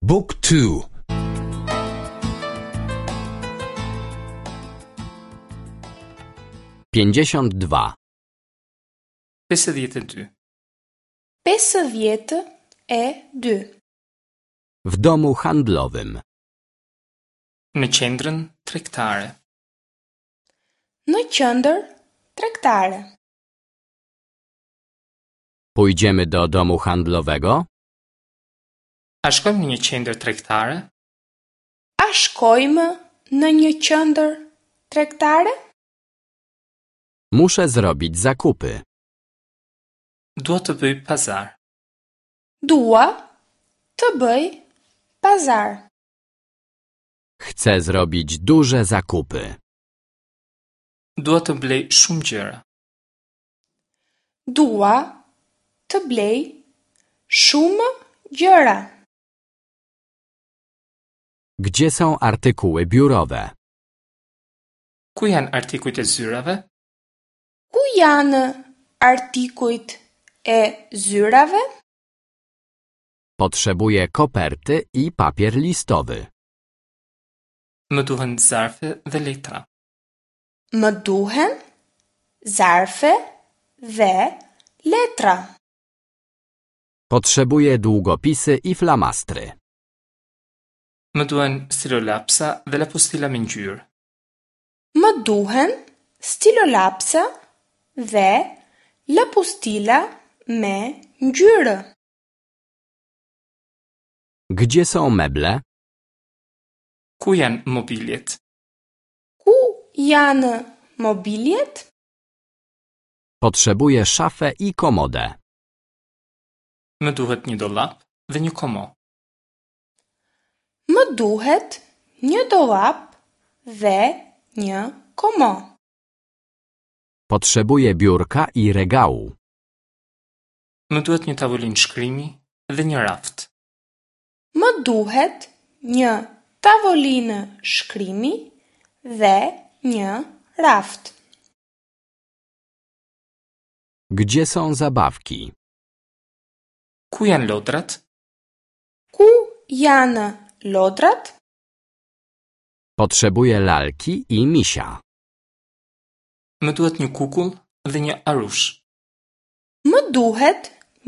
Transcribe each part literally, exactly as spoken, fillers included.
Book two. Pięćdziesiąt dwa. Pesëdhjetë e dy. Pesëdhjetë e dy. W domu handlowym. Në qendrën tregtare. Në qendër tregtare. Pójdziemy do domu handlowego? A shkojmë në një qendër tregtare? A shkojmë në një qendër tregtare? Muszę zrobić zakupy. Dua të bëj pazar. Dua të bëj pazar. Chcę zrobić duże zakupy. Dua të blej shumë gjëra. Dua të blej shumë gjëra. Gdzie są artykuły biurowe? Ku janë artikujt e zyrave? Ku janë artikujt e zyrave? Potrzebuję koperty i papier listowy. Më duhen zarfe dhe letra. Më duhen zarfe dhe letra. Potrzebuję długopisy i flamastry. Më duhen stilolapsa dhe lapustila me ngjyrë. Më duhen stilolapsa dhe lapustila me ngjyrë. Gdzie są meble? Ku janë mobiljet? Ku janë mobiljet? Potrzebuję szafę i komodę. Më duhet një dollap dhe një komo. Më duhet një dollap dhe një komo. Potrzebuję biurka i regału. Më duhet një tavolinë shkrimi dhe një raft. Më duhet një tavolinë shkrimi dhe një raft. Gdzie są zabawki? Ku janë lodrat? Ku janë lodrat? Potrzebuję lalki i misia. Më duhet një kukull dhe një arush. Më duhet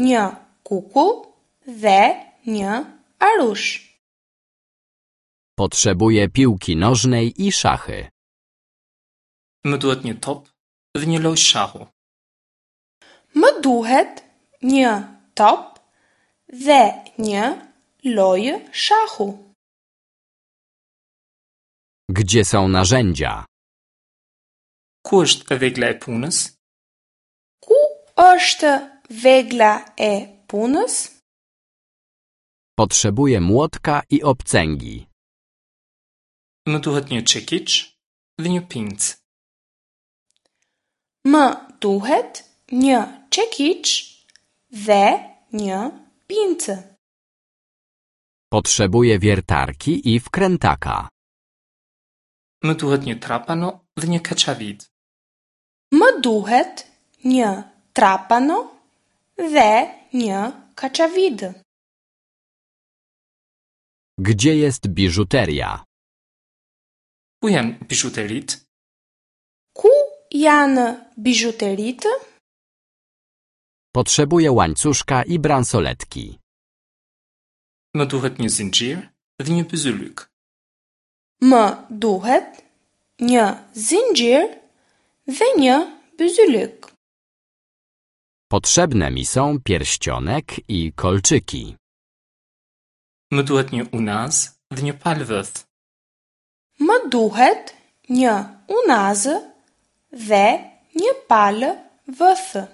një kukull dhe një arush. Potrzebuję piłki nożnej i szachy. Më duhet një top dhe një lojë shahu. Më duhet një top dhe një lojë shahu. Gdzie są narzędzia? Ku është vegla e punës? Ku është vegla e punës? Potrzebuję młotka i obcęgi. Më duhet një çekiç dhe një pincë. Më duhet një çekiç dhe një pincë. Potrzebuję wiertarki i wkrętaka. Më duhet një trapano dhe një kaçavid. Më duhet një trapano dhe një kaçavid. Gdzie jest biżuteria? Ku janë bizhuteritë? Ku janë bizhuteritë? Potrzebuję łańcuszka i bransoletki. Më duhet një zinxhir dhe një byzylyk. Më duhet një zinxhir dhe një byzylyk. Potrzebne mi są pierścionek i kolczyki. Më duhet një unaz dhe një palë vëth. Më duhet një unazë dhe një palë vëthë.